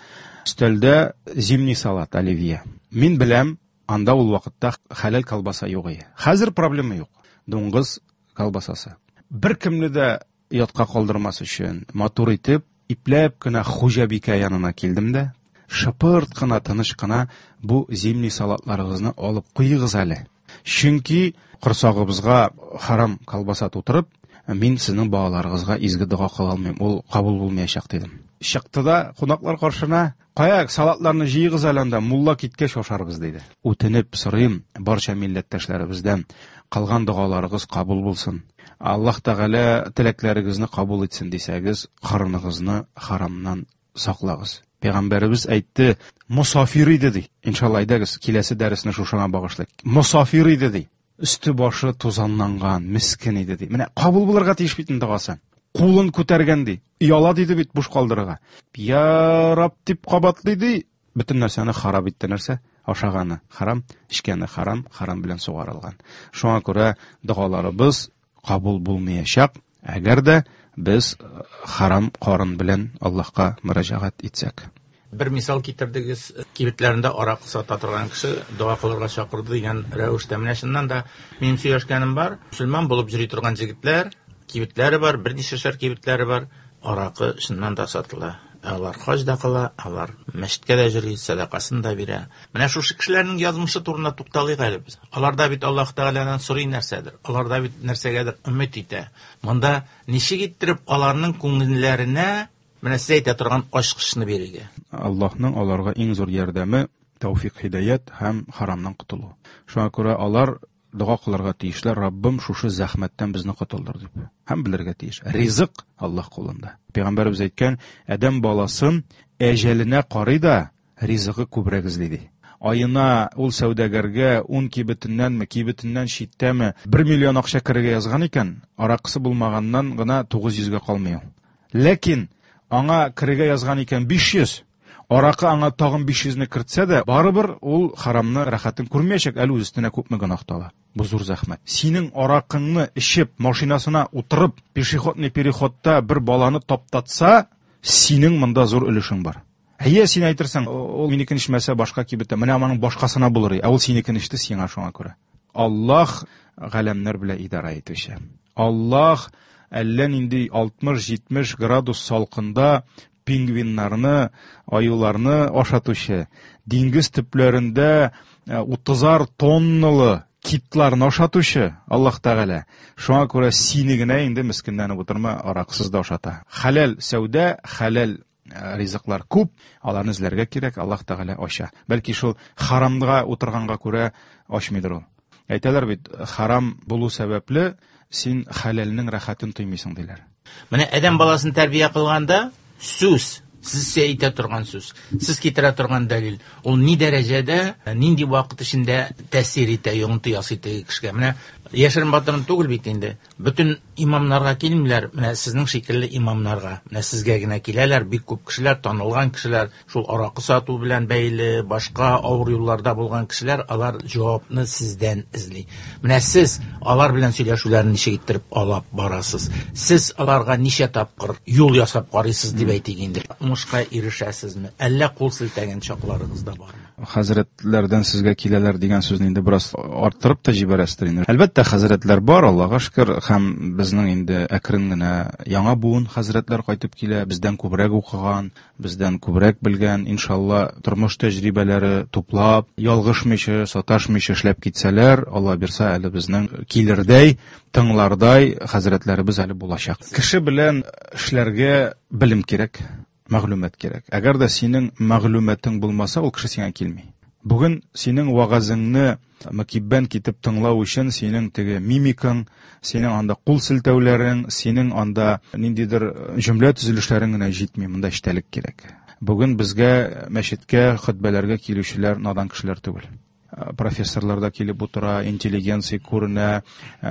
Өстәлдә зимний салат, оливье. Мин беләм, анда ул вакытта хәләл колбаса юк иде. Хәзер проблема юк. Дуңгыз колбасасы. Бер кемне дә ятка калдырмас өчен матур итеп, ипләп кенә хуҗабикә янына килдем дә, шыпырт кына, тыныч кына бу зимний салатларыгызны алып куегыз әле. Чөнки корсагыбызга харам колбаса тутырып, мин сезнең балаларыгызга изге дога кыла алмыйм, ул кабул булмаячак дидем. Чыкты да кунаклар каршына, кая салатларны җыегыз әле анда, мулла киткәч ашарбыз диде. Үтенеп сорыйм барча милләттәшләребездән, кылган догаларыгыз кабул булсын. Аллаһ Тәгалә теләкләрегезне кабул итсен дисәгез, карыныгызны харамнан саклагыз. Пәйгамбәребез әйтте, мосафир иде ди. Иншалла, әйдәгез, киләсе дәресне шушыңа багышлыйк. Мосафир иде ди. Өсте башы тузанланган, мискен иде ди. Менә кабул булырга тиеш бит инде догасы. Кулын күтәргән ди. Ояла диде бит буш калдырырга. Я Раб дип кабатлый ди. Бөтен нәрсәне харап итте нәрсә? Ашаганы харам, эчкәне харам, харам белән сугарылган. Шуңа күрә догаларыбыз кабул булмаячак, әгәр дә без харам карын белән Аллаһка мөрәҗәгать итсәк. Бер мисал китердегез, кибетләрендә аракы сата торган кеше дога кылырга чакырды дигән рәвештә. Менә чыннан да минем сөйләшкәнем бар, мөселман булып йөри торган җегетләр, кибетләре бар, берничәшәр кибетләре бар, аракы чыннан да сатыла. Алар хаҗ да кыла, алар мәчеткә дә йөри, сәдакасын да бирә. Менә шушы кешеләрнең язмышы турында тукталыйк әле без. Алар да бит Аллаһ Тәгаләдән сорый нәрсәдер. Алар да бит нәрсәгәдер өмет итә. Монда ничек иттереп аларның күңелләренә менә сез әйтә торган ачкычны бирергә? Аллаһның аларга иң зур ярдәме тәүфик, һидаят һәм харамнан котылу. Шуңа күрә алар дога кылырга тиешләр, Раббым, шушы зәхмәттән безне котылдыр дип. Һәм белергә тиеш. Ризык Аллаһ кулында. Пәйгамбәребез әйткән, адәм баласын әҗәленә карый да ризыгы күбрәк эзли ди. Аена ул сәүдәгәргә 10 кибетеннәнме, кибетеннән читтәме 1 миллион акча керергә язган икән, аракысы булмаганнан гына 900-гә калмый ул. Ләкин аңа керергә язган икән 500, аракы аңа тагын 500-не кертсә дә, барыбер ул харамны рәхәтен күрмәячәк, әле үз өстенә күпме гөнаһ тала. Бу зур зәхмәт. Синең аракыңны эчеп, машинасына утырып, пешеходный переходта бер баланы таптатса, синең монда зур өлешең бар. Әйе, син әйтерсең, ул минекен эчмәсә башка кибеттә, менә аның башкасына булыр. Ә ул синекен эчте, сиңа шуңа күрә. Аллаһ галәмнәр белән идара итүче. Аллаһ әллә нинди 60-70 градус салкында пингвиннарны, аюларны ашатучы, диңгез төпләрендә 30 тонналы китларны ашатучы Аллаһ Тәгалә. Шуңа күрә сине генә инде мескенләнеп утырма, араксыз да ашата. Хәләл сәүдә, хәләл ризыклар күп, аларны эзләргә кирәк, Аллаһ Тәгалә ача. Бәлки шул харамга утырганга күрә ачмыйдыр ул. Әйтәләр бит, харам булу сәбәпле син хәләлнең рәхәтен тоймыйсың диләр. Менә адәм баласын тәрбия кылганда сүз, сез әйтә торган сүз, сез китерә торган дәлил, ул ни дәрәҗәдә, нинди вакыт эчендә тәэсир итә, йогынты ясый теге кешегә. Менә яшерен батырын түгел бит инде. Бөтен имамнарга килмиләр, менә сезнең шикелле имамнарга. Менә сезгә генә киләләр, бик күп кешеләр, танылган кешеләр, шул аракы сату белән бәйле, башка авыр юлларда булган кешеләр, алар җавапны сездән эзли. Менә сез алар белән сөйләшүләрне ничек иттереп алып барасыз? Сез аларга ничә тапкыр юл ясап карыйсыз дип әйтик инде. Уңышка ирешәсезме? Әллә кул селтәгән чакларыгыз да бармы? Хәзрәтләрдән сезгә киләләр дигән сүзне инде бераз арттырып та җибәрәсездер инде. Әлбәттә, хәзрәтләр бар, Аллаһка шөкер, һәм безнең инде әкрен генә яңа буын хәзрәтләр кайтып килә, бездән күбрәк укыган, бездән күбрәк белгән, иншалла, тормыш тәҗрибәләре туплап, ялгышмыйча, саташмыйча эшләп китсәләр, Алла бирсә, әле безнең килердәй, тыңлардай хәзрәтләребез әле булачак. Кеше белән эшләргә белем кирәк, мәгълүмат кирәк. Әгәр дә синең мәгълүматың булмаса, ул кеше сиңа килми. Бүген синең вагазыңны мөкиббән китеп тыңлау өчен синең теге мимикаң, синең анда кул селтәүләрең, синең анда ниндидер җөмлә төзелешләрең генә җитми, монда эчтәлек кирәк. Бүген безгә мәчеткә, хөтбәләргә килүчеләр надан кешеләр түгел. Профессорлар да килеп утыра, интеллигенция күренә,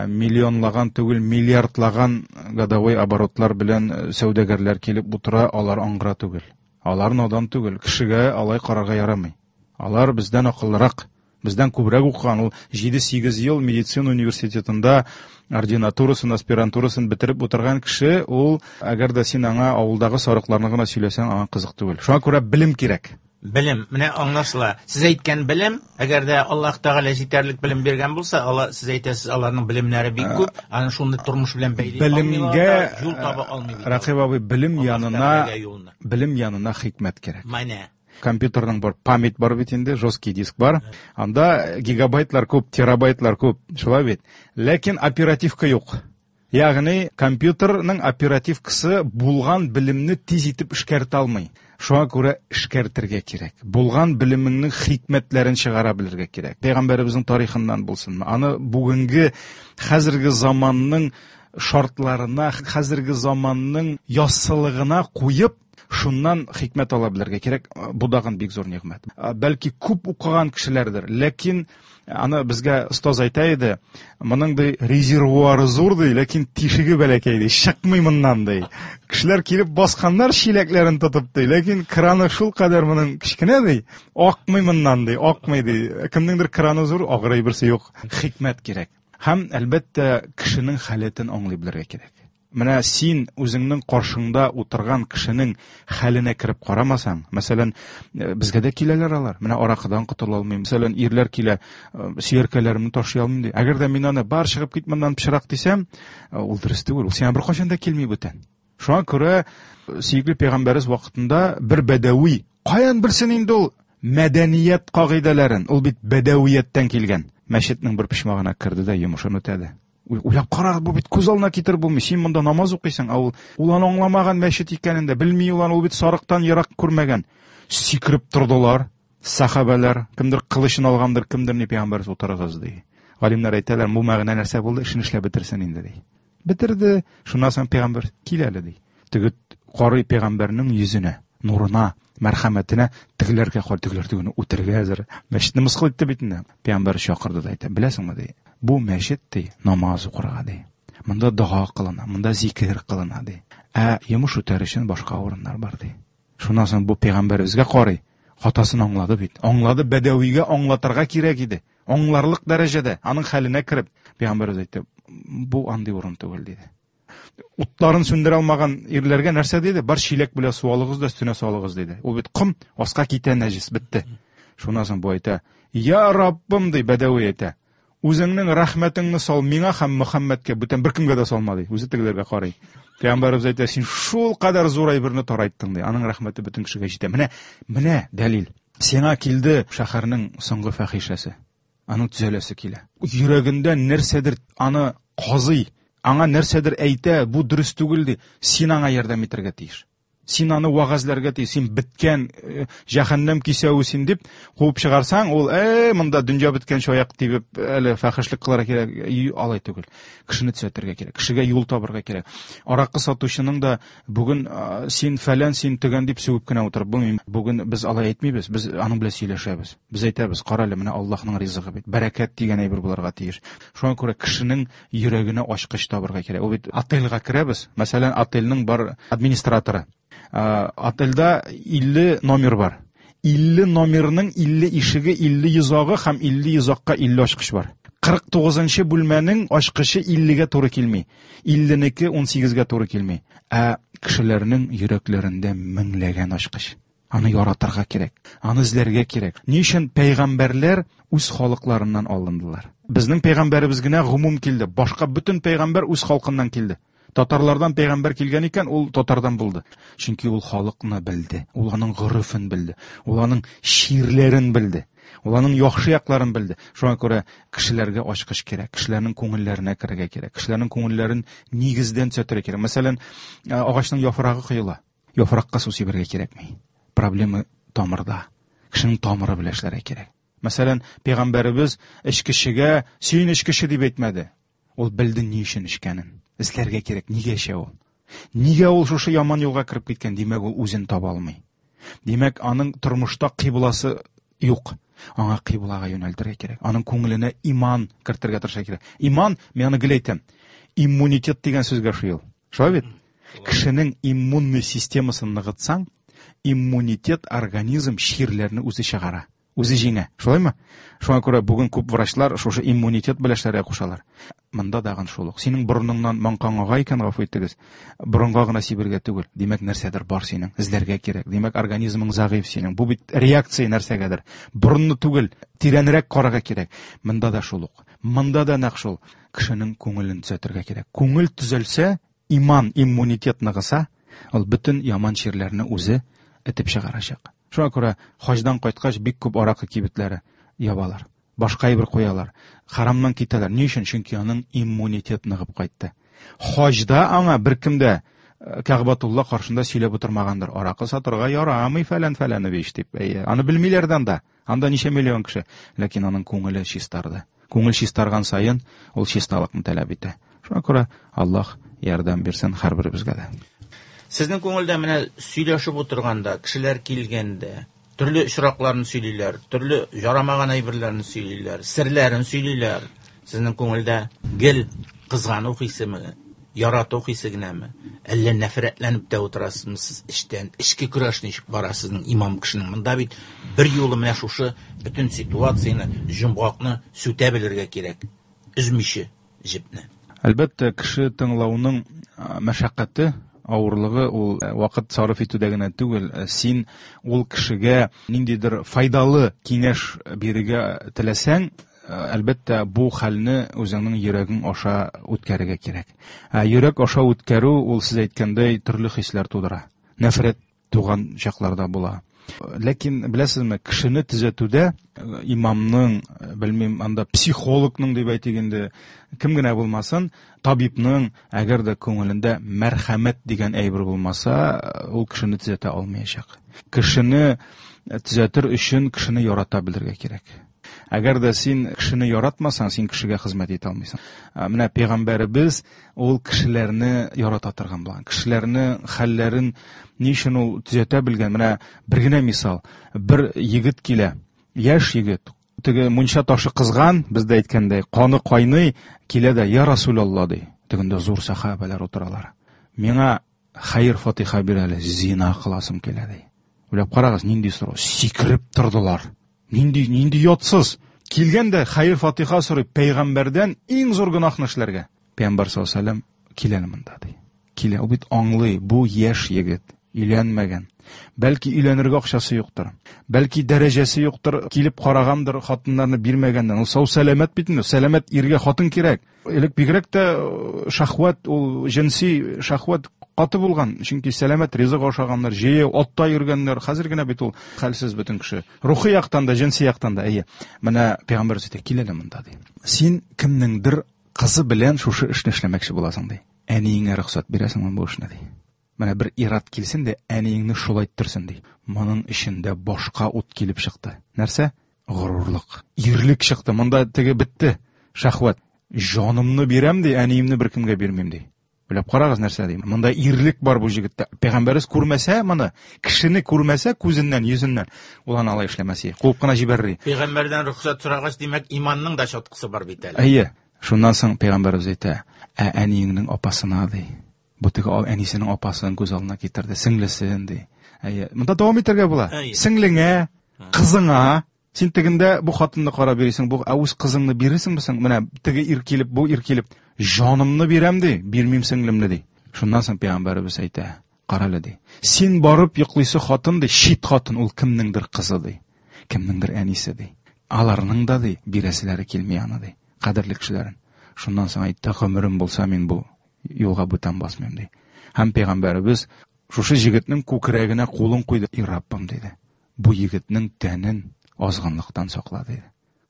миллионлаган түгел, миллиардлаган годовой оборотлар белән сәүдәгәрләр килеп утыра, алар аңгыра түгел. Алар надан түгел, кешегә алай карарга ярамый. Алар бездән акыллырак, бездән күбрәк укыган. Ул 7-8 ел медицина университетында ординатурасын, аспирантурасын бетереп утырган кеше, ул әгәр дә син аңа авылдагы сарыкларны гына сөйләсәң, аңа кызык түгел. Шуңа күрә белем кирәк. Белем, менә аңлашыла. Сез әйткән белем, әгәр дә Аллаһ Тәгалә җитәрлек белем биргән булса, алла, сез әйтәсез, аларның белемнәре бик күп, аны шуны тормыш белән бәйли Белемгә, алмыйлар да, юл таба алмый бит. Рәкыйп абый, белем Аллаһ янына, Тәгаләгә юлны. белем янына хикмәт кирәк. Менә. Компьютерның бар, память бар бит инде, жесткий диск бар. Анда гигабайтлар күп, терабайтлар күп, шулай бит. Ләкин оперативка юк. Ягъни компьютерның оперативкасы булган белемне тиз итеп эшкәртә алмый. Шуңа күрә эшкәртергә кирәк. Булган белемеңнең хикмәтләрен чыгара белергә кирәк. Пәйгамбәребезнең тарихыннан булсынмы? Аны бүгенге хәзерге заманның шартларына, хәзерге заманның яссылыгына куеп, шуннан хикмәт ала белергә кирәк. Бу дагын бик зур нигъмәт. Бәлки күп укыган кешеләрдер, ләкин аны безгә остаз әйтә иде, моның ди резервуары зур ди, ләкин тишеге бәләкәй ди, чыкмый моннан ди. Кешеләр килеп басканнар чиләкләрен тотып ди, ләкин краны шул кадәр моның кечкенә ди, акмый моннан ди, акмый ди. Кемнеңдер краны зур, агыр әйберсе юк. Хикмәт кирәк. Һәм, әлбәттә, кешенең халәтен аңлый белергә кирәк. Менә син үзеңнең каршыңда утырган кешенең хәленә кереп карамасаң, мәсәлән, безгә дә киләләр алар. Менә аракыдан котыла алмыйм. Мәсәлән, ирләр килә, сөяркәләремне ташлый алмыйм ди. Әгәр дә мин аны бар чыгып кит моннан пычрак дисәм, ул дөрес түгел. Ул сиңа беркайчан да килми бүтән. Шуңа күрә сөекле пәйгамбәребез вакытында бер бәдәви, каян белсен инде ул мәдәният кагыйдәләрен? Ул бит бәдәвияттән килгән. Мәчетнең бер почмагына керде дә йомышын үтәде. Уйлап карагыз, бу бит күз алдына китереп булмый. Син монда намаз укыйсың, ә ул аны аңламаган мәчет икәнен дә белми, ул аны, ул бит сарыктан ерак күрмәгән. Сикереп тордылар сахабәләр, кемдер кылычын алгандыр, кемдер ни, пәйгамбәребез утырыгыз ди. Галимнәр әйтәләр, бу мәгънә нәрсә булды, эшен эшләп бетерсен инде ди. Бетерде. Шуннан соң пәйгамбәр кил әле ди. Теге карый пәйгамбәрнең йөзенә, нурына, мәрхәмәтенә, тегеләргә карый, тегеләр тегене үтерергә әзер. Мәчетне мыскыл итте бит инде. Пәйгамбәр чакырды да әйтә, беләсеңме ди, бу мәчет ди, намаз укырга ди. Монда дога кылына, монда зикер кылына ди. Ә йомыш үтәр өчен башка урыннар бар ди. Шуннан соң бу пәйгамбәребезгә карый, хатасын аңлады бит. Аңлады, бәдәвигә аңлатырга кирәк иде. Аңларлык дәрәҗәдә, аның хәленә кереп, пәйгамбәребез әйтте, бу андый урын түгел диде. Утларын сүндерә алмаган ирләргә нәрсә диде? Бар чиләк белән су алыгыз да өстенә салыгыз диде. Ул бит ком, аска китә нәҗес, бетте. Шуннан соң бу әйтә, Я Раббым, ди, бәдәви әйтә. Үзеңнең рәхмәтеңне сал миңа һәм Мөхәммәдкә, бүтән беркемгә дә салма, ди. Үзе тегеләргә карый. Пәйгамбәребез әйтә, син шул кадәр зур әйберне тарайттың, ди. Аның рәхмәте бөтен кешегә җитә. Менә, менә дәлил. Сиңа килде шәһәрнең соңгы фәхишәсе. Аның төзәләсе килә. Йөрәгендә нәрсәдер аны казый, аңа нәрсәдер әйтә, бу дөрес түгел, ди. Син аңа ярдәм итәргә тиеш. Син аны вәгазьләргә тиеш. Син беткән, җәһәннәм кисәве син дип куып чыгарсаң, ул, монда дөнья беткәнче аяк тибеп, әле фәхешлек кылырга кирәк. Алай түгел. Кешене төзәтергә кирәк, кешегә юл табырга кирәк. Аракы сатучының да бүген син фәлән, син төгән дип сүгеп кенә утырып булмый. Бүген без алай әйтмибез, без аның белән сөйләшәбез. Без әйтәбез, кара әле, менә Аллаһның ризыгы бит. Бәрәкәт дигән әйбер булырга тиеш. Шуңа күрә кешенең йөрәгенә ачкыч табырга кирәк. Ул бит отельгә керәбез. Мәсәлән, отельнең бар администраторы. Отельдә 50 номер бар. 50 номерның 50 ишеге, 50 йозагы һәм 50 йозакка 50 ачкыч бар. 49-нчы бүлмәнең ачкычы 50-гә туры килми. 50-неке 18-гә туры килми. Ә кешеләрнең йөрәкләрендә меңләгән ачкыч. Аны яратырга кирәк, аны эзләргә кирәк. Ни өчен пәйгамбәрләр үз халыкларыннан алындылар? Безнең пәйгамбәребез генә гомум килде. Башка бөтен пәйгамбәр үз халкыннан килде. Татарлардан пәйгамбәр килгән икән, ул татардан булды. Чөнки ул халыкны белде, ул аның горефен белде, ул аның чирләрен белде, ул аның яхшы якларын белде. Шуңа күрә кешеләргә ачкыч кирәк, кешеләрнең күңелләренә керергә кирәк, кешеләрнең күңелләрен нигездән төзәтергә кирәк. Мәсәлән, агачның яфрагы коела. Яфракка су сибәргә кирәкми. Проблема тамырда. Кешенең тамыры белән эшләргә кирәк. Мәсәлән, пәйгамбәребез эчкечегә син эчкече дип әйтмәде. Ул белде ни өчен эчкәнен. Эзләргә кирәк, нигә эчә ул? Нигә ул шушы яман юлга кереп киткән? Димәк, ул үзен таба алмый. Димәк, аның тормышта кыйбласы юк. Аңа кыйблага юнәлтергә кирәк. Аның күңеленә иман кертергә тырышырга кирәк. Иман, мин аны гел әйтәм, иммунитет дигән сүзгә ошый ул. Шулай бит? Кешенең иммунный системасын ныгытсаң, иммунитет организм чирләрне үзе чыгара, үзе җиңә. Шулаймы? Шуңа күрә бүген күп врачлар шушы иммунитет белән эшләргә кушалар. Монда дагын шул ук. Синең борыныңнан маңкаң ага икән, гафу итегез, борынга гына сибергә түгел. Димәк, нәрсәдер бар синең, эзләргә кирәк. Димәк, организмың зәгыйфь синең. Бу бит реакция нәрсәгәдер. Борынны түгел, тирәнрәк карарга кирәк. Монда да шул ук. Монда да нәкъ шул. Кешенең күңелен төзәтергә кирәк. Күңел төзәлсә, иман, иммунитет ныгыса, ул бөтен яман чирләрне үзе этеп чыгарачак. Шуңа күрә хаҗдан кайткач бик күп аракы кибетләре ябалар. Башка әйбер куялар. Харамнан китәләр. Ни өчен? Чөнки аның иммунитет ныгып кайтты. Хаҗда аңа беркем дә Кәгъбатулла каршында сөйләп утырмагандыр. Аракы сатырга ярамый фәлән фәләнович дип. Әйе, аны белмиләр дә анда. Анда ничә миллион кеше. Ләкин аның күңеле чистарды. Күңел чистарган саен ул чисталыкны таләп итә. Шуңа күрә Аллаһ ярдәм бирсен һәрберебезгә дә. Сезнең күңелдә менә сөйләшеп утырганда, кешеләр килгәндә, төрле очракларны сөйлиләр, төрле ярамаган әйберләрне сөйлиләр, серләрен сөйлиләр. Сезнең күңелдә гел кызгану хисеме, ярату хисе генәме? Әллә нәфрәтләнеп тә утырасызмы сез эчтән? Эчке көрәш ничек бара сезнең имам кешенең? Монда бит бер юлы менә шушы бөтен ситуацияне, җомгакны сүтә белергә кирәк. Өзмичә җепне. Әлбәттә, кеше тыңлауның мәшәкате, авырлыгы ул вакыт сарыф итүдә генә түгел, син ул кешегә ниндидер файдалы киңәш бирергә теләсәң, әлбәттә, бу хәлне үзеңнең йөрәгең аша үткәрергә кирәк. Ә йөрәк аша үткәрү ул сез әйткәндәй төрле хисләр тудыра. Нәфрәт туган чакларда була. Ләкин беләсезме, кешене төзәтүдә имамның, белмим, анда психологның дип әйтик инде, кем генә булмасын, табибның, әгәр дә күңелендә мәрхәмәт дигән әйбер булмаса, ул кешене төзәтә алмаячак. Кешене төзәтер өчен кешене ярата белергә кирәк. Әгәр дә син кешене яратмасаң, син кешегә хезмәт итә алмыйсың. Менә пәйгамбәребез ул кешеләрне ярата торган булган. Кешеләрне хәлләрен ни өчен ул төзәтә белгән? Менә бер генә мисал. Бер егет килә, яшь егет, теге мунча ташы кызган, бездә әйткәндәй, каны кайный, килә дә, я Расулалла ди. Тегендә зур сахабәләр утыралар. Миңа хәер фатиха бир әле, зина кыласым килә ди. Уйлап карагыз, нинди сорау. Сикереп тордылар. Нинди, нинди ятсыз. Килгән дә хәер фатиха сорый пәйгамбәрдән иң зур гөнаһны эшләргә. Пәйгамбәр саллаллаһу алейһи ва килә монда ди. Килә, ул бит аңлый, бу яшь егет, өйләнмәгән. Бәлки өйләнергә акчасы юктыр. Бәлки дәрәҗәсе юктыр, килеп карагандыр, хатыннарны бирмәгәннән. Ул сау сәламәт бит инде, сәламәт иргә хатын кирәк. Элек бигрәк тә шахват, ул җенси шахват каты булган, чөнки сәламәт ризык ашаганнар, җәяү атта йөргәннәр. Хәзер генә бит ул хәлсез бөтен кеше. Рухи яктан да, җенси яктан да, әйе. Менә пәйгамбәр әйтә, кил әле монда ди. Син кемнеңдер кызы белән шушы эшне эшләмәкче буласың ди. Әниеңә рөхсәт бирәсеңме бу эшне ди. Менә бер ират килсен дә, әниеңне шулай иттерсен ди. Моның эчендә башка ут килеп чыкты. Нәрсә? Горурлык. Ирлек чыкты. Монда теге бетте. Шәхвәт. Җанымны бирәм ди, әниемне беркемгә бирмим ди. Уйлап карагыз нәрсә ди. Монда ирлек бар бу җегеттә. Пәйгамбәребез күрмәсә моны, кешене күрмәсә күзеннән, йөзеннән, ул аны алай эшләмәс иде. Куып кына җибәрер иде. Пәйгамбәрдән рөхсәт сорагач, димәк, иманның да чаткысы бар бит әле. Әйе. Шуннан соң пәйгамбәребез әйтә, ә әниеңнең апасына ди. Бу теге әнисенең апасын күз алдына китерде, сеңлесен ди. Әйе. Монда дәвам итәргә була. Сеңлеңә, кызыңа. Син тегендә бу хатынны карап йөрисең, бу ә үз кызыңны бирерсеңме соң? Менә теге ир килеп, бу ир килеп, җанымны бирәм ди, бирмим сеңлемне ди. Шуннан соң пәйгамбәребез әйтә, карале ди. Син барып йоклыйсы хатын ди, чит хатын, ул кемнеңдер кызы ди. Кемнеңдер әнисе ди. Аларның да ди, бирәселәре килми аны ди, кадерле кешеләрен. Шуннан соң әйтте, гомерем булса мин бу юлга бүтән басмыйм ди. Һәм пәйгамбәребез шушы җегетнең күкрәгенә кулын куйды. И Раббым диде. Бу егетнең тәнен азгынлыктан сакла диде.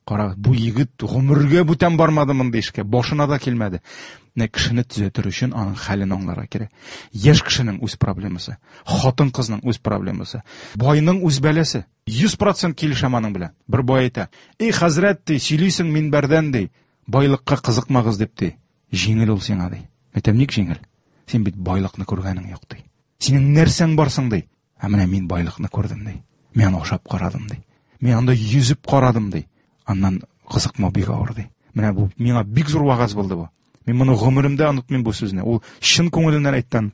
Кара, бу егет гомергә бүтән бармады мондый эшкә, башына да килмәде. Менә кешене төзәтер өчен аның хәлен аңларга кирәк. Яшь кешенең үз проблемасы, хатын-кызның үз проблемасы, байның үз бәласе. 100% килешәм аның белән. Бер бай әйтә: "Эй, хәзрәт, ди, сөйлисең минбәрдән, ди, байлыкка кызыкмагыз дип, ди. Җиңел ул сиңа, ди. Әйтәм, ник җиңел? Син бит байлыкны күргәнең юк, ди. Синең нәрсәң бар соң, ди. Ә менә мин байлыкны күрдем, ди. Мин аны ашап карадым, ди. Мин анда йөзеп карадым, ди. Аннан кызыкмау бик авыр, ди. Менә бу миңа бик зур вагаз булды бу. Мин моны гомеремдә онытмыйм бу сүзне. Ул чын күңеленнән әйткән.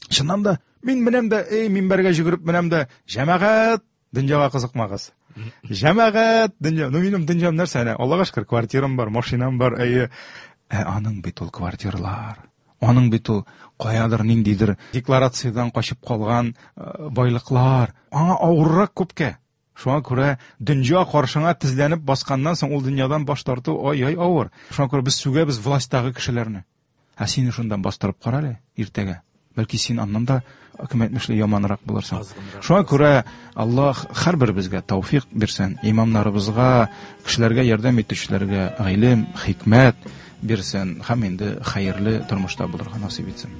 Чыннан да, мин менәм дә, эй, минбәргә йөгереп менәм дә, җәмәгать, дөньяга кызыкмагыз. Җәмәгать, дөнья, ну минем дөньям нәрсә әнә, Аллага шөкер, квартирам бар, машинам бар, әйе. Ә аның бит ул квартиралар. Аның бит ул каядыр ниндидер декларациядән качып калган байлыклар. Аңа авыррак күпкә. Шуңа күрә дөнья каршыңа тезләнеп басканнан соң ул дөньядан баш тарту ай-яй авыр. Шуңа күрә без сүгәбез властьтагы кешеләрне. Ә сине шундан бастырып кара әле иртәгә. Бәлки син аннан да, кем әйтмешли, яманрак булырсың. Шуңа күрә Аллаһ һәрберебезгә тәүфик бирсен, имамнарыбызга, кешеләргә ярдәм итүчеләргә гыйлем, хикмәт бирсен һәм инде хәерле тормышта булырга насыйп итсен.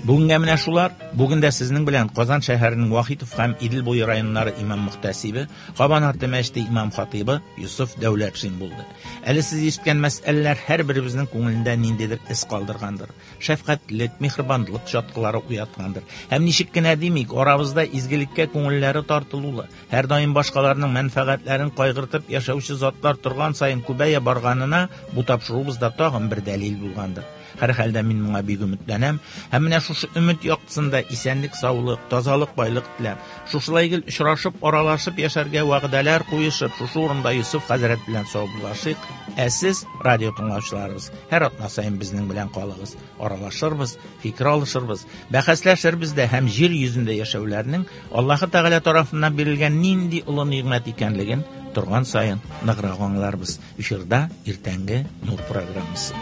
Бүгенгә менә шулар. Бүген дә сезнең белән Казан шәһәренең Вахитов һәм Идел буе районнары имам-мөхтәсибе, Кабан арты мәчете имам-хатыйбы Йосыф Дәүләтшин булды. Әле сез ишеткән мәсьәләләр һәрберебезнең күңелендә ниндидер эз калдыргандыр. Шәфкатьлек, миһербанлык чаткылары уяткандыр. Һәм ничек кенә димик, арабызда изгелеккә күңелләре тартылулы, һәрдаим башкаларның мәнфәгатьләрен кайгыртып яшәүче затлар торган саен күбәя барганына бу тапшыруыбызда тагын бер дәлил булгандыр. Һәрхәлдә мин моңа бик өметләнәм. Һәм менә шушы өмет яктысында исәнлек, саулык, тазалык, байлык теләп, шушылай гел очрашып, аралашып яшәргә вәгъдәләр куешып, шушы урында Йосыф хәзрәт белән саубуллашыйк. Ә сез, радио тыңлаучыларыбыз, һәр атна саен безнең белән калыгыз. Аралашырбыз, фикер алышырбыз, бәхәсләшербез дә һәм җир йөзендә яшәүләрнең Аллаһы Тәгалә тарафыннан бирелгән нинди олы нигъмәт икәнлеген торган саен ныграк аңларбыз. Эфирда иртәнге Нур программасы.